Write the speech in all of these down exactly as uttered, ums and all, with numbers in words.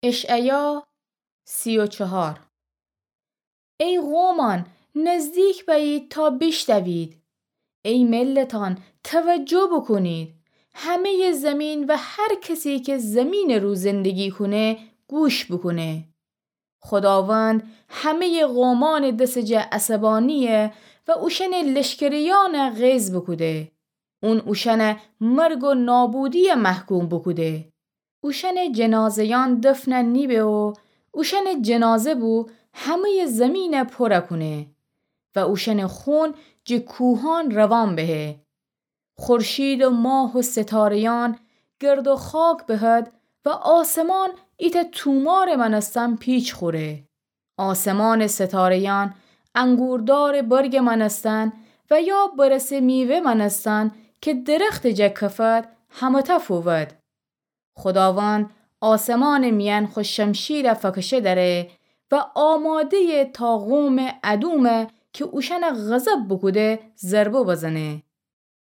اشعیا سی و چهار. ای قومأن، نزدیک بأیید تا بیشنوید. ای ملتأن، توجه بوکونید. همه‌یٚ زیمین و هر کسی که زیمینٚ رو زندگی کونه، گوش بوکونه. خوداوند همه‌یٚ قومأنٚ دسٚ جا عصبانی‌یه و اوشأنٚ لشکریأنَ قیض بوکوده. اون اوشأنَ مرگ و نابودی‌یه محکوم بوکوده. اوشأنٚ جنازه‌یأن دفن نیبه و اوشأنٚ جنازه بو همه‌یٚ زیمینَ پورَ کونه و اوشأنٚ خون جٚه کوهأن روان بهه. خورشید و ماه و ستاره‌یأن گرد و خاک بهد و آسمان ایتأ تومارٚ مأنستن پیچ خوره. آسمانٚ ستاره‌یأن انگوردارٚ برگٚ مأنستن و یا برسٚ میوه مأنستن که درختٚ جا کفد، همه‌تأ فوود. خوداوند آسمانٚ میأن خو شمشیرَ فکشه دأره و آماده‌یه تا قومٚ ادومَ که اوشأنَ غضب بوکوده، ضربه بزنه.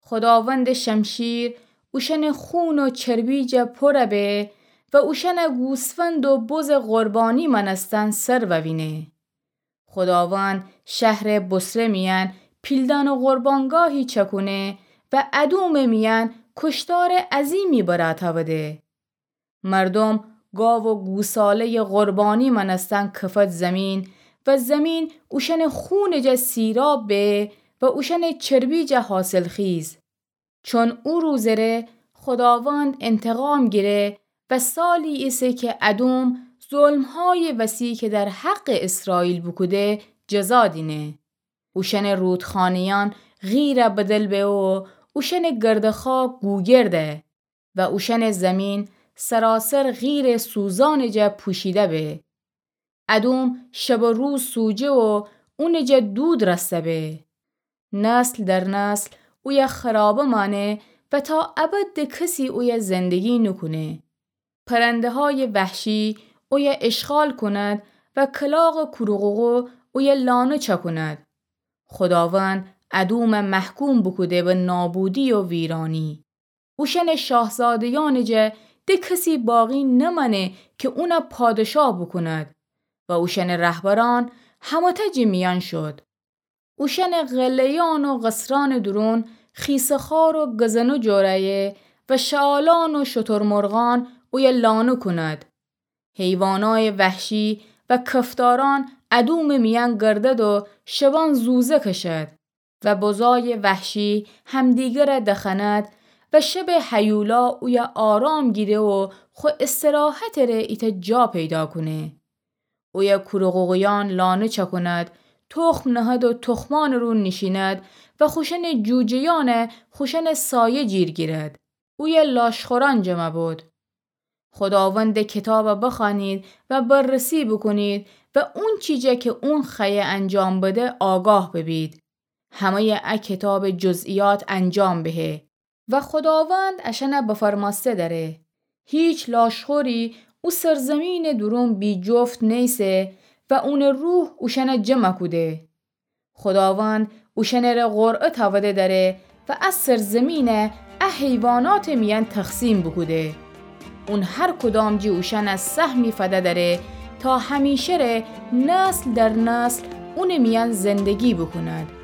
خوداوندٚ شمشیر اوشأنٚ خون و چربی جا پورَ به و اوشأنَ گوسفند و بزٚ قربانی مأنستن سر ووینه. خوداوند شهرٚ بصره میأن پیلدان و قربانگاهی چأکونه و ادومٚ میأن کشتارٚ عظیمی برأ تأوده. مردوم گاو و گوساله‌یٚ قربانی مأنستن کفد زیمین و زیمین اوشأنٚ خونٚ جا سیراب به و اوشأنٚ چربی جا حاصلخیز. چون او روزٚ ره خوداوند انتقام گیره و سالی ایسه که ادوم ظلم‌هایٚ وسی که در حقٚ اسرائیل بوکوده، جزا دینه. اوشأنٚ رودخانه‌یأن قیرَ بدل به و اوشأنٚ گرد خاک گوگرده و اوشأنٚ زیمین سراسر قیرٚ سوزانٚ جا پوشیده به. ادوم شب و روز سوجه و اونٚ جا دود رسته به. نسل در نسل اویه خرابه مانه و تا ابد د کسی اویه زندگی نوکونه. پرنده‌هایٚ وحشی اویه اشغال کند و کلاغٚ کوروقوقو اویه لانه چأکوند. خوداوند ادومَ محکوم بوکوده به نابودی و ویرانی. اوشأنٚ شاهزاده‌یأنٚ جا د کسی باقی نمأنه که اونَ پادشاه بوکوند و اوشأنٚ رهبرأن همه‌تأ جٚه میأن شد. اوشأنٚ قلعه‌یأن و قصرأنٚ دورون خیسه‌خوار و گزنه جورأیه و شعالأن و شترمرغأن اویه لانه کوند. حیوانایٚ وحشی و کفتارأن ادومٚ میأن گردد و شبأن زوزه کشد و بزایٚ وحشی همدیگرَ دخوأند و شبٚ هیولا اویه آرام گیره و خو استراحتٚ ره ایتأ جا پیدا کونه. اویه کوروقوقویأن لانه چأکوند، تخم نهد و تخمأنٚ رو نیشیند و خوشأنٚ جوجه‌یأنَ خوشأنٚ سایه جیر گیرد. اویه لاشخورأن جمع بود. خوداوندٚ کتابَ بخوأنید و بررسی بوکونید و اونچی جا که اون خوأیه انجام بده آگاه ببید. همه‌یٚ ا کتابٚ جزئیات انجام بهه و خوداوند اشأنَ بفرمأسته دأره. هیچ لاشخوری او سرزیمینٚ دورون بی‌جفت نیسه و اونٚ روح اوشأنَ جمع کوده. خوداوند اوشأنٚ ره قرعه تأوده دأره و ا سرزیمینَ ا حیواناتٚ میأن تقسیم بوکوده. اون هر کدام جٚه اوشأن سهمی فده دأره تا همیشه ره نسل در نسل اونٚ میأن زندگی بوکوند.